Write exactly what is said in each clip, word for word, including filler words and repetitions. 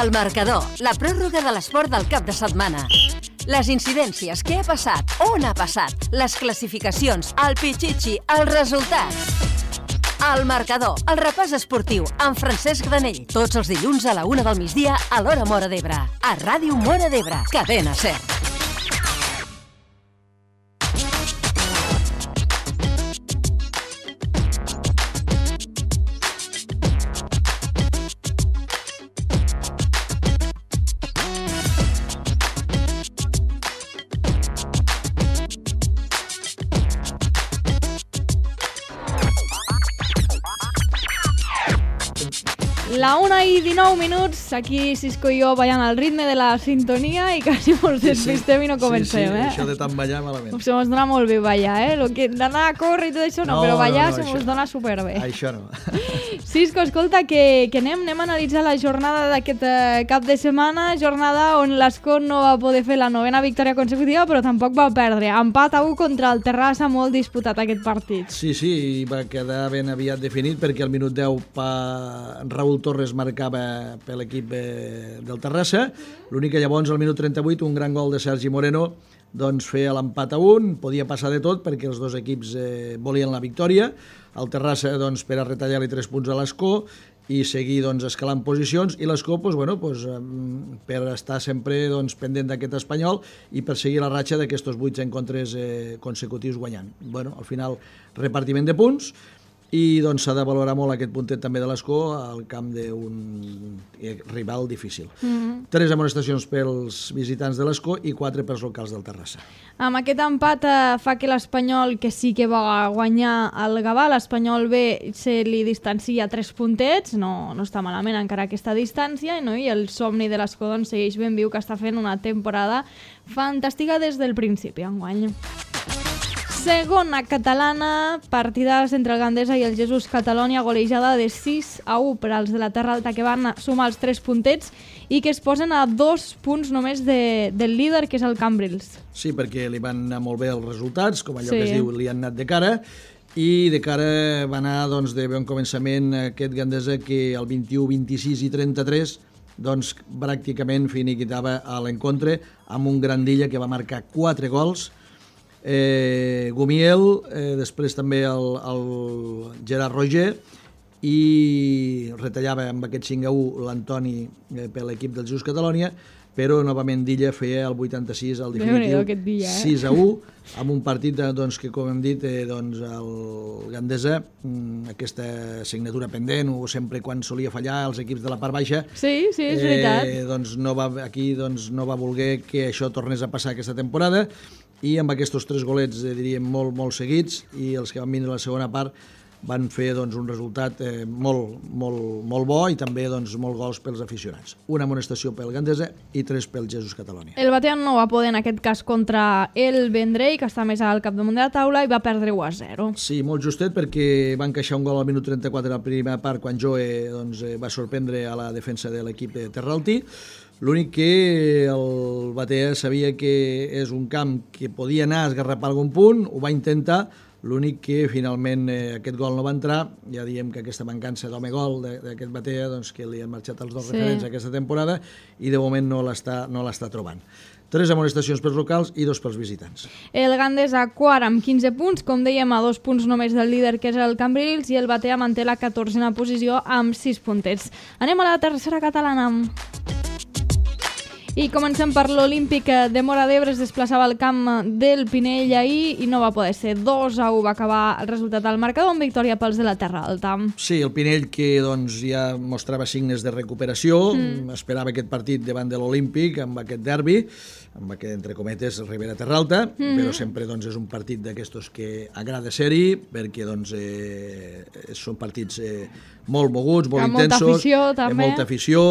El marcador, la pròrroga de l'esport del cap de setmana. Les incidències, què ha passat, on ha passat, les classificacions, el pitxitxi, els resultats. El marcador, el repàs esportiu, amb Francesc Granell. Tots els dilluns a la una del migdia a l'hora Móra d'Ebre. A Ràdio Móra d'Ebre, Cadena Ser. La una i dinou minuts, aquí Cisco i jo ballant al ritme de la sintonia i quasi mos despistem i no comencem, sí, sí, eh? això de tant ballar malament. Se mos dona molt bé ballar, eh? Lo que d'anar a córrer i tot això no, No, però ballar no, no, se mos això- dona superbé. Això no. Cisco, escolta, que, que anem, anem a analitzar la jornada d'aquest eh, cap de setmana, jornada on l'Escó no va poder fer la novena victòria consecutiva, però tampoc va perdre. Empat a u contra el Terrassa, molt disputat aquest partit. Sí, sí, i va quedar ben aviat definit perquè al minut deu pa... Raúl Torres marcava per l'equip eh, del Terrassa. L'únic que llavors al minut trenta-vuit un gran gol de Sergi Moreno doncs feia l'empat a un, podia passar de tot perquè els dos equips eh, volien la victòria. El Terrassa doncs, per a retallar-li tres punts a l'Escó i seguir doncs, escalant posicions, i l'Escó doncs, bueno, doncs, per estar sempre doncs, pendent d'aquest Espanyol i per seguir la ratxa d'aquests vuit encontres eh, consecutius guanyant. Bueno, al final, repartiment de punts, i doncs s'ha de valorar molt aquest puntet també de l'Escó al camp d'un rival difícil. Mm-hmm. Tres amonestacions pels visitants de l'Escó i quatre pels locals del Terrassa. Amb aquest empat eh, fa que l'Espanyol, que sí que va guanyar el Gavà, l'Espanyol B se li distancia tres puntets, no, no està malament encara aquesta distància, no? I el somni de l'Escó doncs, segueix ben viu, que està fent una temporada fantàstica des del principi enguany. Segona catalana, partides entre el Gandesa i el Jesús Catalònia, golejada de sis a u per als de la Terra Alta, que van sumar els tres puntets i que es posen a dos punts només de, del líder, que és el Cambrils. Sí, perquè li van anar molt bé els resultats, com allò Sí. que es diu, li han anat de cara, i de cara va anar doncs, de bon començament aquest Gandesa que el vint-i-u, vint-i-sis i trenta-tres doncs, pràcticament finiquitava a l'encontre amb un Grandilla que va marcar quatre gols, eh, Gumiel, eh, després també el, el Gerard Roger, i retallava amb aquest cinc a u l'Antoni eh, per l'equip del Jesús Catalònia, però novament Dilla feia el vuitanta-sis al definitiu, aquest dia, eh? sis a u, amb un partit doncs, que, com hem dit, eh, doncs, el Gandesa, mm, aquesta assignatura pendent, o sempre quan solia fallar els equips de la part baixa, Sí, sí, és veritat. eh, doncs no va, aquí doncs, no va voler que això tornés a passar aquesta temporada, i amb aquests tres golets, eh, diríem, molt, molt seguits, i els que van vindre a la segona part van fer doncs, un resultat eh, molt, molt, molt bo, i també doncs, molt gols pels aficionats. Una amonestació pel Gandesa i tres pel Jesús Catalònia. El Batean no va poder en aquest cas contra el Vendrell, que està més al capdamunt de la taula, i va perdre u a zero. Sí, molt justet, perquè van encaixar un gol al minut trenta-quatre a la primera part, quan Joe doncs, eh, va sorprendre a la defensa de l'equip de Terralti. L'únic que el Batea sabia que és un camp que podia anar a esgarrapar algun punt, ho va intentar, l'únic que finalment eh, aquest gol no va entrar. Ja diem que aquesta mancança d'home gol d'aquest Batea, doncs, que li han marxat els dos Sí. referents aquesta temporada, i de moment no l'està no l'està trobant. Tres amonestacions pels locals i dos pels visitants. El Gandesa quart amb quinze punts, com dèiem, a dos punts només del líder, que és el Cambrils, i el Batea manté la catorzena posició amb sis puntets. Anem a la tercera catalana. I comencem per l'Olímpic de Móra d'Ebre. Es desplaçava al camp del Pinell ahir i no va poder ser. dos a u va acabar el resultat al marcador, amb victòria pels de la Terra Alta. Sí, el Pinell, que doncs, ja mostrava signes de recuperació, mm. esperava aquest partit davant de l'Olímpic, amb aquest derbi, amb aquest, entre cometes, Ribera Terralta, mm. però sempre doncs, és un partit d'aquestos que agrada ser-hi, perquè doncs, eh, són partits eh, molt moguts, molt Amb molta intensos, afició, també. amb molta afició,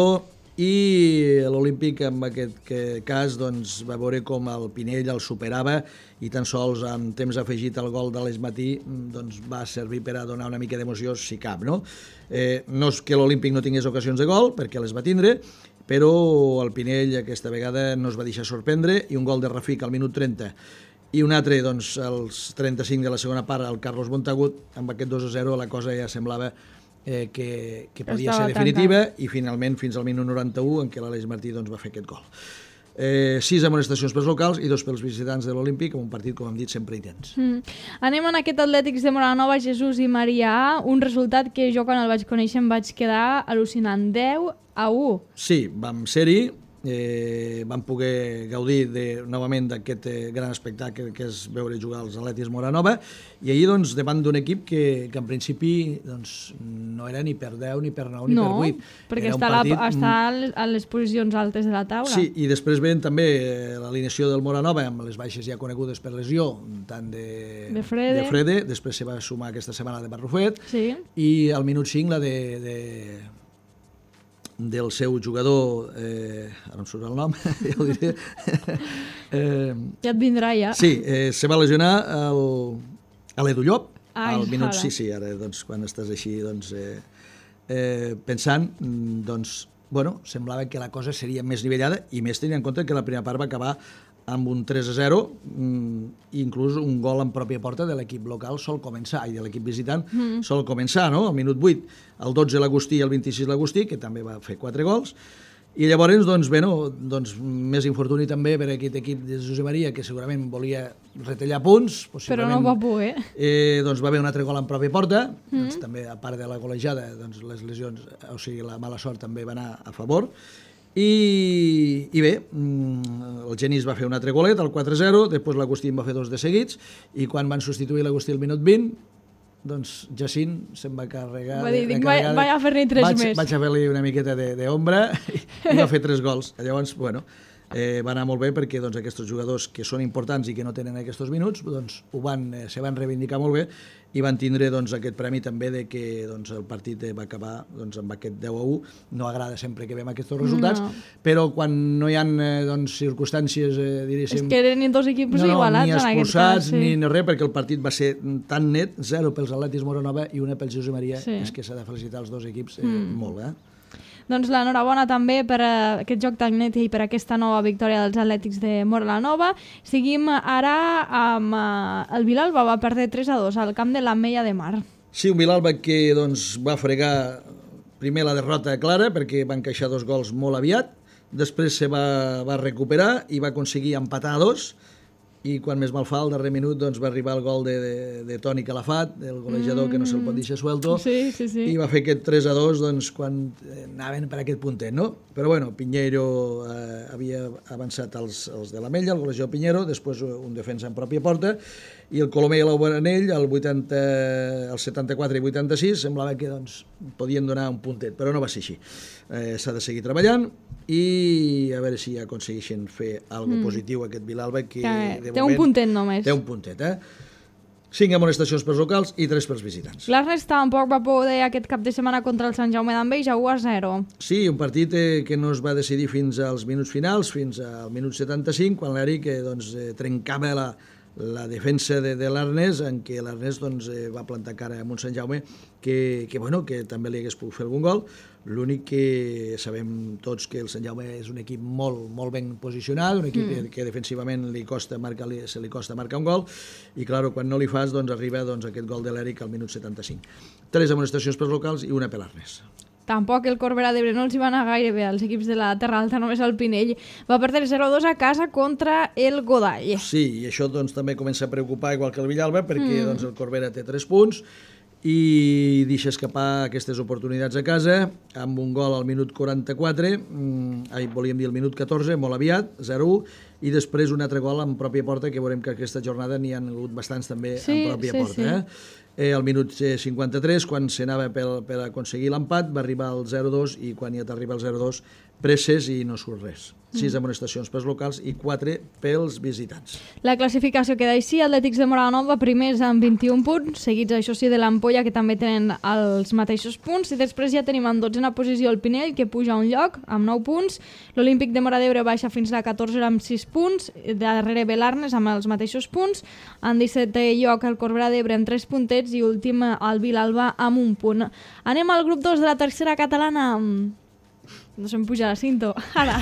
i l'Olímpic en aquest cas doncs, va veure com el Pinell el superava, i tan sols amb temps afegit al gol de l'Eix Matí doncs, va servir per a donar una mica d'emoció, si cap. No, eh, no és que l'Olímpic no tingués ocasions de gol, perquè les va tindre, però el Pinell aquesta vegada no es va deixar sorprendre, i un gol de Rafik al minut trenta i un altre doncs, als trenta-cinc de la segona part, al Carlos Montagut. Amb aquest dos a zero la cosa ja semblava eh, que, que podia ser definitiva, tancat. I finalment fins al minut noranta-u en què l'Aleix Martí doncs, va fer aquest gol. Eh, sis amonestacions pels locals i dos pels visitants de l'Olímpic, amb un partit, com hem dit, sempre intens. Mm. Anem en aquest Atlètics de Moranova, Jesús i Marià, un resultat que jo quan el vaig conèixer em vaig quedar al·lucinant, deu a u. Sí, vam ser-hi, eh, vam poder gaudir de, novament d'aquest eh, gran espectacle que és veure jugar els Atlètics Moranova, i ahir doncs, davant d'un equip que, que en principi doncs, no era ni per deu, ni per nou, ni no, per vuit. perquè està, partit... la, està a les posicions altes de la taula. Sí, i després ven també l'alineació del Moranova amb les baixes ja conegudes per lesió, tant de, de, Frede. de Frede, després se va sumar aquesta setmana de Barrufet, sí. I al minut cinc la de... de del seu jugador, eh, ara em surt el nom, ja ho diré. eh, ja et vindrà, ja. Sí, eh, se va lesionar el, a l'Edu Llop, Ai, al minut, ara. sí, sí, ara, doncs, quan estàs així, doncs, eh, eh, pensant, doncs, bueno, semblava que la cosa seria més nivellada, i més tenint en compte que la primera part va acabar amb un tres a zero, inclús un gol en pròpia porta de l'equip local sol començar, i de l'equip visitant mm. sol començar, no? Al minut vuit, el dotze l'Agustí i el vint-i-sis l'Agustí, que també va fer quatre gols, i llavors, doncs, bé, no, doncs, més infortuni també per aquest equip de Josep Maria, que segurament volia retallar punts, però no va poder. Eh, doncs va haver un altre gol en pròpia porta, mm. doncs, també, a part de la golejada, doncs, les lesions, o sigui, la mala sort també va anar a favor. I, i bé, el Genís va fer un altre golet, el quatre a zero, després l'Agustí en va fer dos de seguits, i quan van substituir l'Agustí al minut vint, doncs Jacint se'n va carregar... Va dir, dic, vaig, vaig a fer-ne tres vaig, més. Vaig a fer-li una miqueta d'ombra i, i va fer tres gols. Llavors, bueno, eh, va anar molt bé perquè doncs, aquests jugadors que són importants i que no tenen aquests minuts, doncs, ho van, eh, se van reivindicar molt bé i van tindre doncs, aquest premi també de que doncs, el partit va acabar doncs, amb aquest deu a u. No agrada sempre que veiem aquests resultats, no. Però quan no hi ha eh, doncs, circumstàncies, eh, diríssim... És que eren dos equips no, igualats en aquest cas. Sí. Ni expulsats, ni res, perquè el partit va ser tan net, zero pels Atlètics Moranova i una pels Josep Maria, sí. És que s'ha de felicitar els dos equips eh, mm. molt, eh? Doncs l'enhorabona també per uh, aquest joc tan net i per aquesta nova victòria dels Atlètics de Moranova. Seguim ara amb uh, el Vilalba, va perdre tres a dos al camp de l'Ametlla de Mar. Sí, un Vilalba que doncs, va fregar primer la derrota clara perquè va encaixar dos gols molt aviat, després se va, va recuperar i va aconseguir empatar a dos, i quan més mal fa, al darrer minut doncs, va arribar el gol de, de, de Toni Calafat, el golejador mm. que no se'l pot deixar suelto, sí, sí, sí. I va fer aquest tres a dos doncs, quan anaven per aquest puntet, no? Però bueno, Pinheiro eh, havia avançat els, els de l'Ametlla, el golejador Pinheiro, després un defensa en pròpia porta, i el Colomer i l'Obanell, el, vuitanta, el setanta-quatre i vuitanta-sis, semblava que doncs, podien donar un puntet, però no va ser així. Eh, s'ha de seguir treballant i a veure si aconsegueixen fer alguna mm. positiu aquest Vilalba, que, que de té moment, un puntet només. Té un puntet, eh? Cinc amonestacions pels locals i tres pels visitants. L'Ernest tampoc va poder aquest cap de setmana contra el Sant Jaume d'Enveja, u a zero. Sí, un partit eh, que no es va decidir fins als minuts finals, fins al minut setanta-cinc, quan l'Eric eh, doncs, eh, trencava la, la defensa de, de l'Ernest, en què l'Ernest doncs, eh, va plantar cara amb un Sant Jaume que, que, bueno, que també li hagués pogut fer algun gol. L'únic que sabem tots que el Sant Jaume és un equip molt, molt ben posicionat, un equip mm. que, que defensivament li costa marcar, se li costa marcar un gol, i clar, quan no li fas doncs, arriba doncs, aquest gol de l'Eric al minut setanta-cinc. Tres amonestacions pels locals i una per l'Ernest. Tampoc el Corbera d'Ebre no els hi va anar gaire bé als equips de la Terra Alta, només el Pinell va perdre zero a dos a casa contra el Godall. Sí, i això doncs, també comença a preocupar igual que el Villalba, perquè mm. doncs, el Corbera té tres punts i deixa escapar aquestes oportunitats a casa amb un gol al minut quaranta-quatre, mm, volíem dir el minut catorze, molt aviat, zero a u, i després un altre gol en pròpia porta, que veurem que aquesta jornada n'hi ha hagut bastants també sí, en pròpia sí, porta. Sí. Eh? Eh, al minut cinquanta-tres, quan s'anava per, per aconseguir l'empat, va arribar al zero a dos, i quan ja t'arriba al zero a dos presses i no surt res. Sis mm. amonestacions pels locals i quatre pels visitants. La classificació queda així: Atlètics de Moranova primers amb vint-i-un punts, seguits això sí de l'Ampolla, que també tenen els mateixos punts, i després ja tenim en dotzena posició el Pinell, que puja un lloc amb nou punts, l'Olímpic de Móra d'Ebre baixa fins a la catorzena amb sis punts, darrere Belarnes amb els mateixos punts, en dissetè lloc el Corbera d'Ebre amb tres puntets i últim el Vilalba amb un punt. Anem al grup dos de la tercera catalana. No se'm puja la cinto. Ara.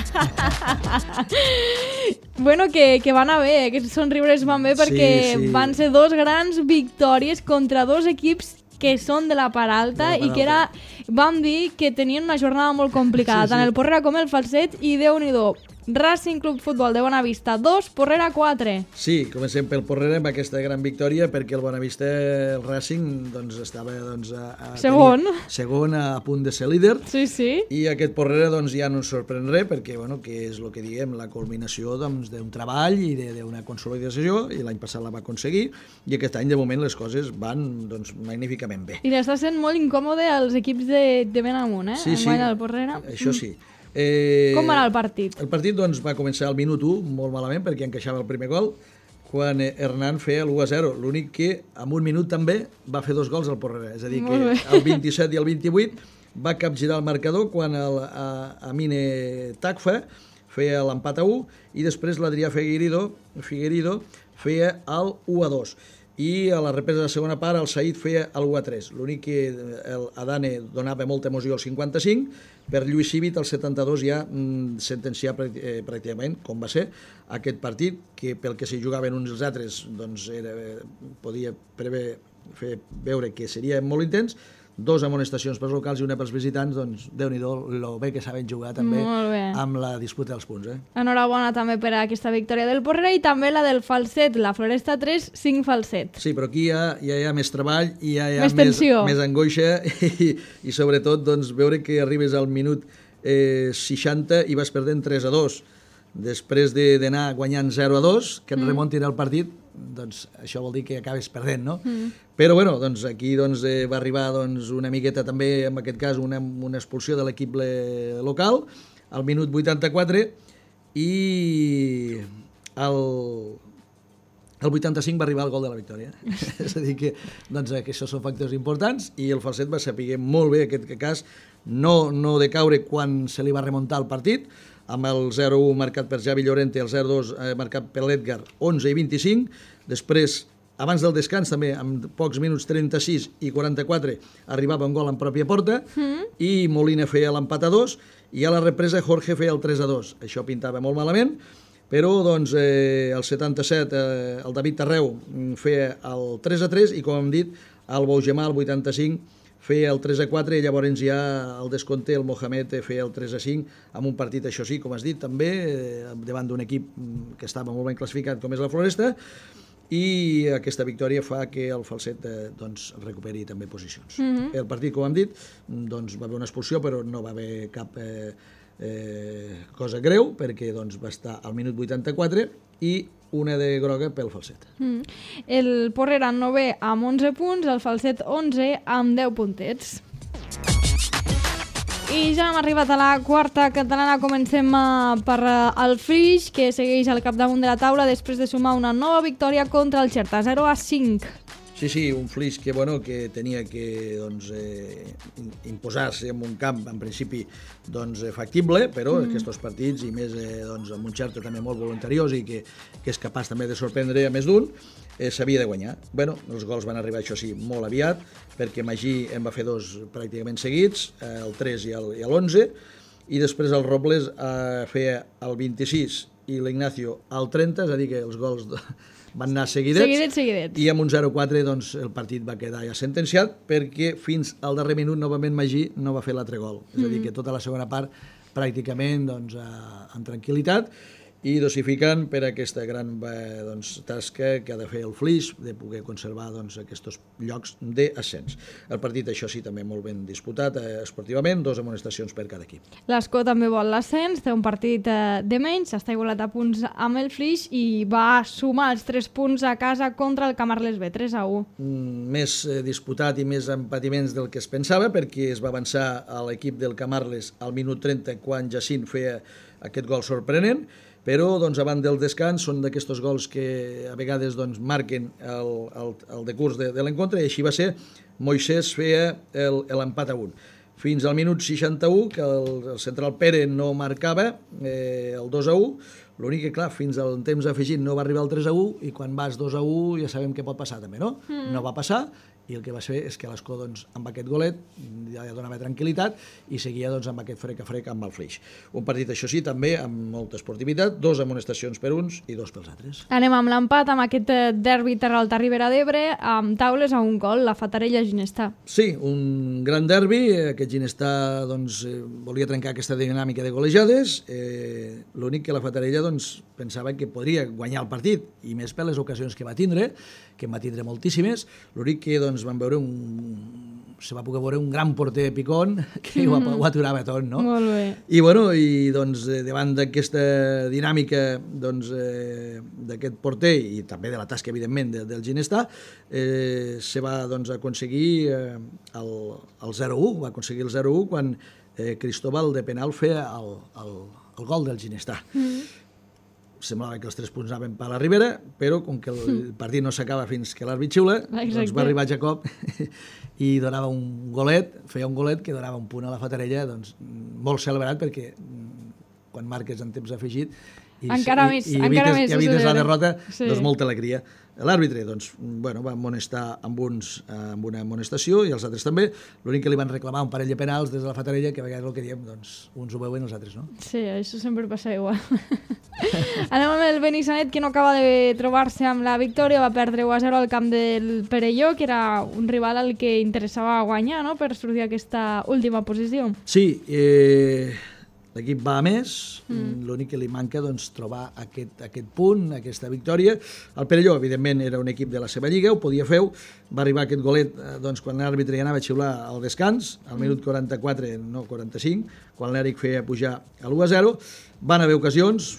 Bueno, que, que van a bé, aquests somriures van bé perquè sí, sí. Van ser dos grans victòries contra dos equips que són de la part alta, De la part i que era, vam dir que tenien una jornada molt complicada, Sí, sí. tant el Porrera com el Falset, i Déu-n'hi-do, Racing Club Futbol de Bonavista dos, Porrera quatre. Sí, comencem pel Porrera amb aquesta gran victòria, perquè el Bonavista, el Racing, doncs, estava doncs, a, a Segon. tenir, segon a, a punt de ser líder, Sí, sí. i aquest Porrera doncs, ja no ens sorprèn res, perquè bueno, que és el que diguem, la culminació doncs, d'un treball i de- d'una consolidació, i l'any passat la va aconseguir, i aquest any de moment les coses van doncs, magníficament bé. I l'està sent molt incòmode als equips de, de ben amunt, eh? Sí, sí, Enguany el Porrera. això sí. Eh, Com va anar el partit? El partit doncs, va començar al minut u molt malament perquè encaixava el primer gol, quan eh, Hernán feia l'u a zero. L'únic que en un minut també va fer dos gols al Porrera. És a dir, Molt que bé. el vint-i-set i el vint-i-vuit va capgirar el marcador quan el a, Amine Takfa feia l'empat a u i després l'Adrià Figueiredo, Figueiredo feia el u a dos. I a la represa de la segona part el Said feia el u a tres. L'únic que el Adane donava molta emoció al cinquanta-cinc, per Lluís Civit al setanta-dos ja mm, sentenciar eh, pràcticament, com va ser, aquest partit, que pel que s'hi jugaven uns i els altres doncs era, podia prever, fer veure que seria molt intens. Dos amonestacions pels locals i una pels visitants, doncs Déu-n'hi-do lo bé que saben jugar també Molt bé. amb la disputa dels punts. Eh? Enhorabona també per a aquesta victòria del Porrera i també la del Falset, la Floresta tres, cinc Falset. Sí, però aquí ja, ja hi ha més treball i ja hi ha Més tensió. més angoixa i, i sobretot doncs, veure que arribes al minut eh, seixanta i vas perdent tres a dos. Després de- d'anar guanyant zero a dos, que et mm. remontin el partit, doncs això vol dir que acabes perdent, no? Mm. Però bueno, doncs aquí doncs, eh, va arribar doncs, una miqueta també, en aquest cas, una, una expulsió de l'equip le- local, al minut vuitanta-quatre, i el, el vuitanta-cinc va arribar el gol de la victòria. És a dir, que, doncs, que això són factors importants, i el Falset va saber molt bé aquest cas, no, no de caure quan se li va remuntar el partit, amb el zero a u marcat per Javi Llorente, el zero a dos eh, marcat per l'Edgar, onze i vint-i-cinc, després, abans del descans també, amb pocs minuts, trenta-sis i quaranta-quatre, arribava un gol en pròpia porta, mm. i Molina feia l'empat a dos, i a la represa Jorge feia el tres a dos. Això pintava molt malament, però doncs, eh, el setanta-set eh, el David Tarreu feia el tres a tres, i com hem dit, el Bougemà, el vuitanta-cinc, feia el tres a quatre, i llavors ja el descompte, el Mohamed feia el tres a cinc, amb un partit, això sí, com has dit, també, eh, davant d'un equip que estava molt ben classificat, com és la Floresta, i aquesta victòria fa que el Falset eh, doncs, recuperi també posicions. Mm-hmm. El partit, com hem dit, doncs, va haver una expulsió, però no va haver cap eh, eh, cosa greu, perquè doncs, va estar al minut vuitanta-quatre, i una de groga pel Falset. Mm. El Porrera novè amb onze punts, el Falset onze amb deu puntets. I ja hem arribat a la quarta catalana. Comencem uh, per uh, el Flix, que segueix al capdamunt de la taula després de sumar una nova victòria contra el Xerta, zero a cinc. Sí, sí, un Flix que, bueno, que tenia que doncs, eh, imposar-se en un camp, en principi, doncs, eh, factible, però mm. aquests partits, i més eh, doncs, amb un Xerta també molt voluntariós i que, que és capaç també de sorprendre a més d'un, eh, s'havia de guanyar. Bueno, els gols van arribar, això sí, molt aviat, perquè Magí en va fer dos pràcticament seguits, eh, el tres i l'onze, i després el Robles eh, feia el vint-i-sis i l'Ignacio el trenta, és a dir, que els gols de, van anar seguidets, Seguidets, seguidets. i amb un zero a quatre doncs, el partit va quedar ja sentenciat, perquè fins al darrer minut novament Magí no va fer l'altre gol. És a dir, que tota la segona part pràcticament doncs, eh, amb tranquil·litat, i dosificant per aquesta gran eh, doncs, tasca que ha de fer el Flix, de poder conservar doncs, aquests llocs d'ascens. El partit, això sí, també molt ben disputat eh, esportivament, dos amonestacions per cada equip. L'Escó també vol l'ascens, té un partit eh, de menys, està igualat a punts amb el Flix i va sumar els tres punts a casa contra el Camarles B, tres a u. Mm, més eh, disputat i més empatiments del que es pensava, perquè es va avançar a l'equip del Camarles al minut trenta, quan Jacint feia aquest gol sorprenent, però doncs, abans del descans són d'aquests gols que a vegades doncs, marquen el, el, el decurs de, de l'encontre, i així va ser. Moisès feia l'empat a un. Fins al minut seixanta-u, que el, el central Pere no marcava eh, el dos a u, l'únic que, clar, fins al temps afegit no va arribar el tres a u, i quan vas dos a u ja sabem què pot passar també, no? Mm. No va passar, i el que va fer és que l'Escó, doncs, amb aquest golet ja donava tranquil·litat i seguia, doncs, amb aquest frec a frec amb el Flix. Un partit, això sí, també amb molta esportivitat, dos amonestacions per uns i dos pels altres. Anem amb l'empat, amb aquest derbi Terralta Ribera d'Ebre, amb taules a un gol, la Fatarella Ginestà. Sí, un gran derbi, aquest Ginestà, doncs, eh, volia trencar aquesta dinàmica de golejades, eh, l'únic que la Fatarella, doncs, pensava que podria guanyar el partit, i més per les ocasions que va tindre, que en va tindre moltíssimes, l'únic que, doncs, van veure un... se va poder veure un gran porter Picón que mm-hmm. ho, ho aturava tot, no? Molt bé. I, bueno, i doncs, davant d'aquesta dinàmica, doncs, eh, d'aquest porter i també de la tasca, evidentment, de, del Ginestà, eh, se va, doncs, aconseguir eh, el, el zero u, va aconseguir el zero u quan eh, Cristóbal de penal feia el, el, el gol del Ginestà. Mm-hmm. Semblava que els tres punts anaven per la Ribera, però com que el partit no s'acaba fins que l'àrbit xiula, doncs va arribar Jacob i donava un golet, feia un golet que donava un punt a la Fatarella, doncs, molt celebrat, perquè quan marques en temps afegit i, encara i, més, i, encara evites, més, i evites la derrota, sí. doncs molta alegria. L'àrbitre, doncs, bueno, va amonestar amb, uns, amb una amonestació i els altres també. L'únic que li van reclamar un parell de penals des de la Fatarella, que a vegades el que diem, doncs, uns ho veuen, els altres no. Sí, això sempre passa igual. Anem amb el Benissanet, que no acaba de trobar-se amb la victòria, va perdre u a zero al camp del Perelló, que era un rival al que interessava guanyar, no?, per sortir d'aquesta última posició. Sí, eh... l'equip va a més, mm. l'únic que li manca, doncs, trobar aquest, aquest punt, aquesta victòria. El Perelló, evidentment, era un equip de la seva lliga, ho podia fer, va arribar aquest golet doncs, quan l'àrbitre ja anava a xiular al descans, al minut quaranta-quatre, no quaranta-cinc, quan l'Eric feia pujar a l'u a zero. Van haver ocasions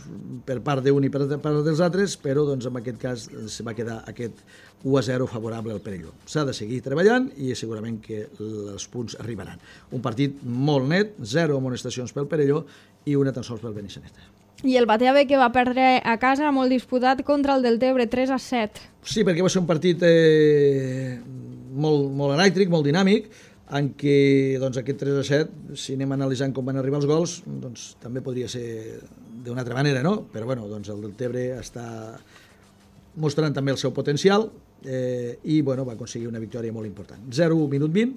per part d'un i per part dels altres, però doncs, en aquest cas se va quedar aquest u a zero favorable al Perelló. S'ha de seguir treballant i segurament que els punts arribaran. Un partit molt net, zero amonestacions pel Perelló i una tan sols pel Benissanet. I el Batea B, que va perdre a casa molt disputat contra el Deltebre, tres a set. Sí, perquè va ser un partit eh, molt, molt elèctric, molt dinàmic, en què doncs, aquest tres a set, si anem analitzant com van arribar els gols, doncs, també podria ser d'una altra manera, no? Però bueno, doncs, el Deltebre està mostrant també el seu potencial eh, i bueno, va aconseguir una victòria molt important. zero a u minut vint,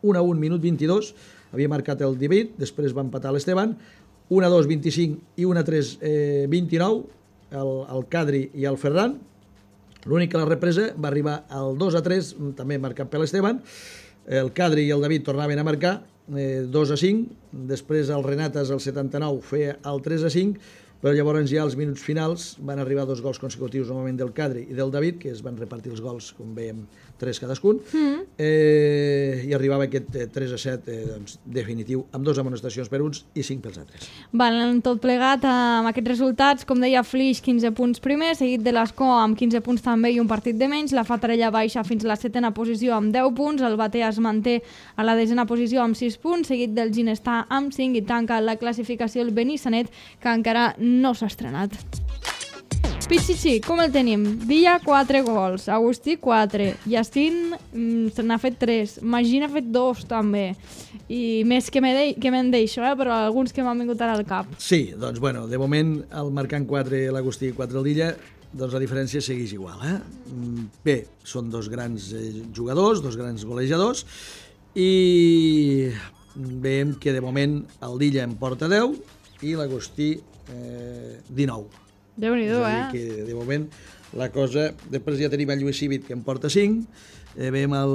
un a un minut vint-i-dos, havia marcat el David, després va empatar l'Esteban, un a dos vint-i-cinc i un a tres eh, vint-i-nou, el, el Cadri i el Ferran. L'únic que la represa va arribar al dos a tres, també marcat per l'Esteban. El Cadri i el David tornaven a marcar, eh, dos a cinc, després el Renatas al setanta-nou feia el tres a cinc, però llavors ja als minuts finals van arribar dos gols consecutius, normalment del Cadri i del David, que es van repartir els gols, com veiem, tres cadascun, mm. eh, i arribava aquest eh, tres a set eh, doncs, definitiu, amb dues amonestacions per uns i cinc pels altres. Van tot plegat amb aquests resultats, com deia Flix, quinze punts primer, seguit de l'Escó amb quinze punts també i un partit de menys, la Fatarella baixa fins a la setena posició amb deu punts, el Batea es manté a la desena posició amb sis punts, seguit del Ginestà amb cinc i tanca la classificació el Benissanet, que encara no s'ha estrenat. Pichichi, com el tenim? Villa, quatre gols. Agustí, quatre. Yacine mm, se n'ha fet tres. Magí n'ha fet dos, també. I més que me'n de deixo, eh? Però alguns que m'han vingut ara al cap. Sí, doncs, bueno, de moment, el marcant quatre l'Agustí i quatre el Dilla, doncs la diferència segueix igual, eh? Bé, són dos grans eh, jugadors, dos grans golejadors, i veiem que de moment el Dilla en porta deu i l'Agustí eh, dinou. Déu-n'hi-do, eh? Que de moment la cosa... Després ja tenim el Lluís Cívic, que en porta cinc, eh, veiem el,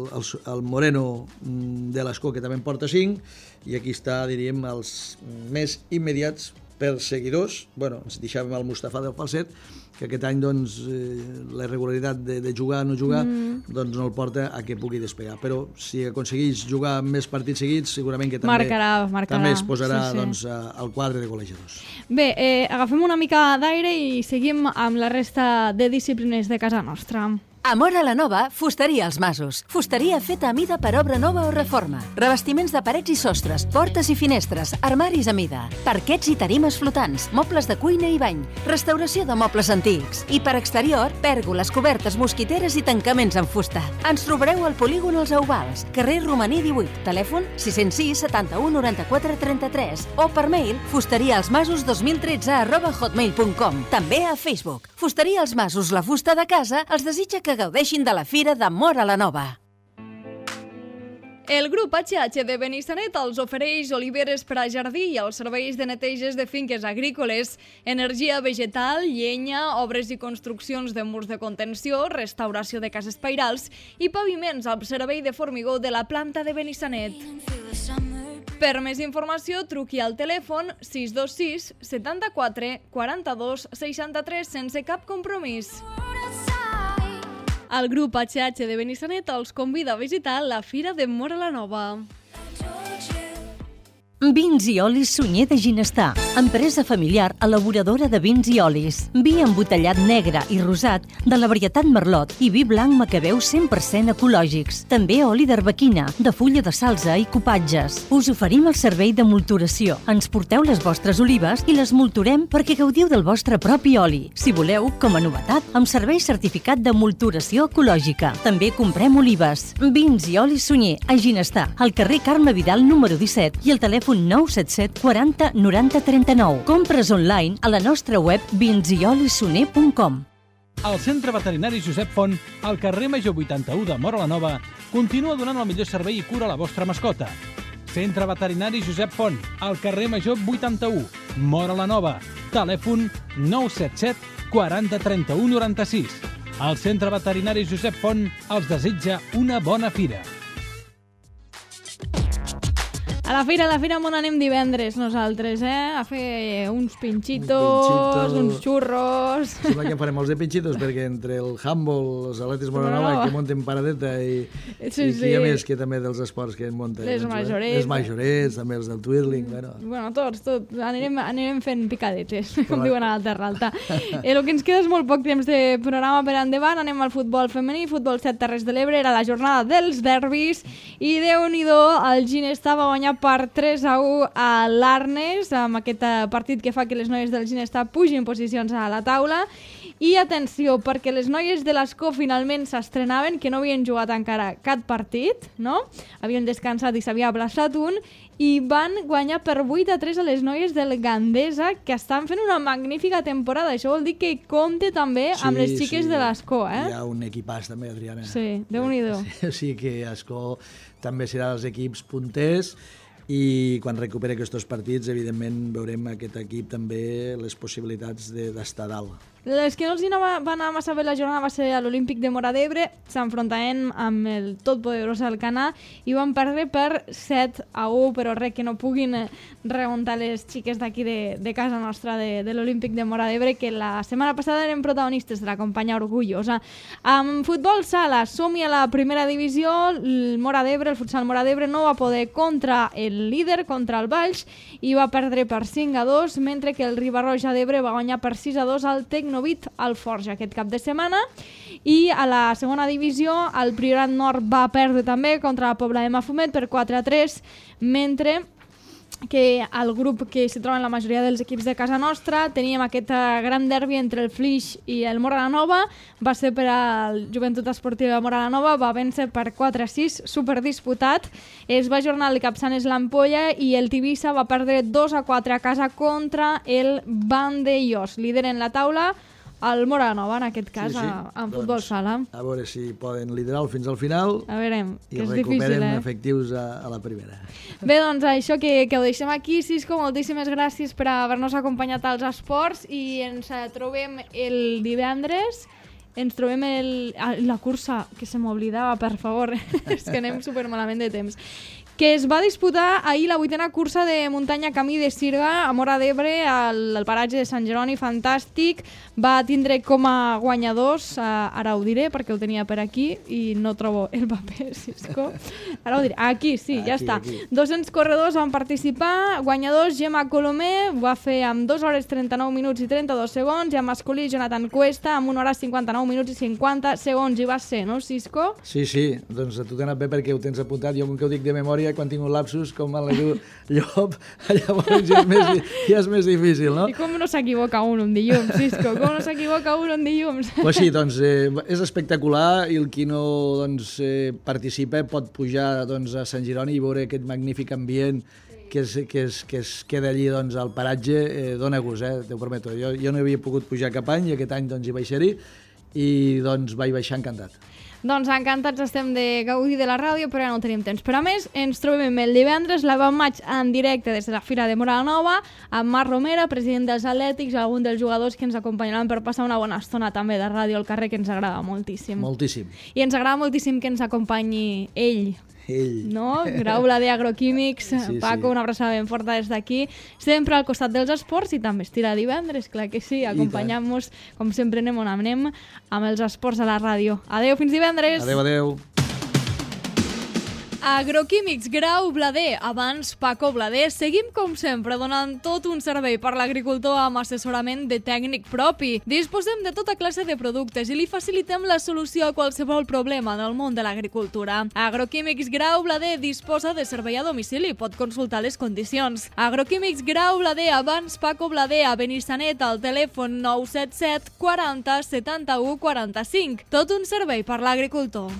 el, el Moreno de l'Escó, que també en porta cinc, i aquí està, diríem, els més immediats perseguidors. Bueno, ens deixàvem el Mustafa del Falset, que aquest any doncs, eh, la irregularitat de, de jugar o no jugar mm. doncs no el porta a que pugui despegar. Però si aconsegueix jugar més partits seguits, segurament que també, marcarà, marcarà. també es posarà sí, sí. Doncs, al quadre de golejadors. Bé, eh, agafem una mica d'aire i seguim amb la resta de disciplines de casa nostra. A Móra la Nova, fusteria als Masos. Fusteria feta a mida per obra nova o reforma. Revestiments de parets i sostres, portes i finestres, armaris a mida, parquets i tarimes flotants, mobles de cuina i bany, restauració de mobles antics. I per exterior, pèrgoles, cobertes, mosquiteres i tancaments en fusta. Ens trobareu al polígon Els Euvals, carrer Romaní divuit, telèfon sis zero sis setanta-u noranta-quatre trenta-tres o per mail fusteriaalsmasos dos mil tretze arroba hotmail punt com. També a Facebook. Fusteria als Masos, la fusta de casa, els desitja que gaudeixin de la Fira de Móra la Nova. El grup H H de Benissanet els ofereix oliveres per a jardí i els serveis de neteges de finques agrícoles, energia vegetal, llenya, obres i construccions de murs de contenció, restauració de cases pairals i paviments al servei de formigó de la planta de Benissanet. Per més informació, truqui al telèfon sis dos sis setanta-quatre quaranta-dos seixanta-tres sense cap compromís. El grup H H de Benissanet els convida a visitar la Fira de Móra la Nova. Vins i olis Sunyer de Ginestar, empresa familiar elaboradora de vins i olis. Vi embotellat negre i rosat de la varietat Merlot i vi blanc Macabeu cent per cent ecològics. També oli d'arbequina, de fulla de salsa i copatges. Us oferim el servei de molturació. Ens porteu les vostres olives i les molturem perquè gaudiu del vostre propi oli. Si voleu, com a novetat, amb servei certificat de molturació ecològica. També comprem olives. Vins i olis Sunyer a Ginestar, al carrer Carme Vidal número disset i el telèfon nou set set quaranta noranta trenta-nou. Compres online a la nostra web vins i olis sunyer punt com. El Centre Veterinari Josep Font, al carrer Major vuitanta-u de Móra la Nova, continua donant el millor servei i cura a la vostra mascota. Centre Veterinari Josep Font, al carrer Major vuitanta-u, Móra la Nova. Telèfon nou set set quaranta trenta-u noranta-sis. El Centre Veterinari Josep Font els desitja una bona fira. A la fira, a la fira on anem divendres nosaltres, eh? A fer uns pinxitos, pinxito. uns xurros... Sembla que farem els de pinxitos, perquè entre el handball, els atletes Móra la Nova, que munten paradeta, i, sí, i sí. qui hi ha més que també dels esports que en munten. Les doncs, majorets. Les majorets, també els del twirling, bueno. Bueno, tots, tots. Anirem, anirem fent picadetes, com diuen a la Terra Alta. Eh, el que ens queda és molt poc temps de programa per endavant. Anem al futbol femení, futbol set Terres de l'Ebre, era la jornada dels derbis, i Déu-n'hi-do, el Ginestar va guanyar per tres a u a l'Arnes, amb aquest partit que fa que les noies del Ginestar pugin posicions a la taula. I atenció, perquè les noies de l'Escó finalment s'estrenaven, que no havien jugat encara cap partit, no? Havien descansat i s'havia aplaçat un, i van guanyar per vuit a tres a les noies del Gandesa, que estan fent una magnífica temporada. Això vol dir que compte també sí, amb les xiques sí. de l'Escó, eh? Hi ha un equipàs també, Adriana. Sí, Déu-n'hi-do. Sí, sí que Escó també serà dels equips punters, i quan recuperi aquests partits, evidentment, veurem aquest equip també les possibilitats d'estar dalt. Les que no els anava, va anar massa bé la jornada va ser a l'Olímpic de Móra d'Ebre, s'enfrontaven amb el totpoderós Alcanar i van perdre per set a u, però res que no puguin remuntar les xiques d'aquí de, de casa nostra de, de l'Olímpic de Móra d'Ebre, que la setmana passada eren protagonistes de la companya orgullosa. Amb futbol sala, som-hi a la primera divisió, el Móra d'Ebre, el futsal Móra d'Ebre no va poder contra el líder, contra el Valls, i va perdre per cinc a dos, mentre que el Riba-roja d'Ebre va guanyar per sis a dos al Tecnovit al Forja aquest cap de setmana. I a la segona divisió el Priorat Nord va perdre també contra la Pobla de Mafumet per quatre a tres, mentre que el grup que s'hi troben la majoria dels equips de casa nostra teníem aquest gran derbi entre el Flix i el Móra la Nova, va ser per al Joventut Esportiva de Móra la Nova, va vèncer per quatre a sis, superdisputat. Es va ajornar el Capçanes l'Ampolla i el Tivissa va perdre dos a quatre a casa contra el Vandellós, líder en la taula, el Móra la Nova, en aquest cas, sí, sí. en futbol doncs, sala. A veure si poden liderar fins al final a veure, que i és recuperen difícil, eh? efectius a, a la primera. Bé, doncs això que, que ho deixem aquí. Cisco, moltíssimes gràcies per haver-nos acompanyat als esports i ens trobem el divendres. Ens trobem el, la cursa, que se m'oblidava, per favor, és que anem supermalament de temps, que es va disputar ahir la vuitena cursa de muntanya Camí de Sirga a Móra d'Ebre, al, al paratge de Sant Jeroni, fantàstic. Va tindre com a guanyadors, uh, ara ho diré perquè ho tenia per aquí i no trobo el paper, Cisco. Ara ho diré, aquí, sí, aquí, ja està. Aquí. dos-cents corredors van participar, guanyadors Gemma Colomé, va fer amb dos hores trenta-nou minuts i trenta-dos segons, i amb masculí Jonathan Cuesta amb una hora cinquanta-nou minuts i cinquanta segons, i va ser, no, Cisco? Sí, sí, doncs a tu t'ha anat bé perquè ho tens apuntat, jo com que ho dic de memòria, quan tinc un lapsus, com me la diu Llop, llavors ja és, més, ja és més difícil, no? I com no s'equivoca un un dilluns, Cisco? Com no s'equivoca un un dilluns? Pues sí, doncs eh, és espectacular i el qui no doncs, eh, participa pot pujar doncs, a Sant Jeroni i veure aquest magnífic ambient que es, que es, que es queda allí doncs, al paratge, eh, dona gust, eh, t'ho prometo. Jo, jo no havia pogut pujar cap any i aquest any doncs, hi vaig ser-hi i doncs vaig baixar encantat. Doncs encantats estem de gaudir de la ràdio, però ja no tenim temps. Però a més, ens trobem el divendres, la vam maig en directe des de la Fira de Móra la Nova, amb Marc Romera, president dels Atlètics, algun dels jugadors que ens acompanyaran per passar una bona estona també de ràdio al carrer, que ens agrada moltíssim. Moltíssim. I ens agrada moltíssim que ens acompanyi ell, Ell. no? Grau Blader Agroquímics, Sí, sí, Paco, sí. una abraçada ben forta des d'aquí. Sempre al costat dels esports i també estira divendres, clar que sí, acompanyant-nos, com sempre anem on anem, amb els esports a la ràdio. Adeu, fins divendres! Adeu, adeu. Agroquímics Grau Blader, abans Paco Blader, seguim com sempre donant tot un servei per l'agricultor amb assessorament de tècnic propi. Disposem de tota classe de productes i li facilitem la solució a qualsevol problema del món de l'agricultura. Agroquímics Grau Blader disposa de servei a domicili, pot consultar les condicions. Agroquímics Grau Blader, abans Paco Blader, a Benissanet, al telèfon nou set set quaranta setanta-u quaranta-cinc. Tot un servei per l'agricultor.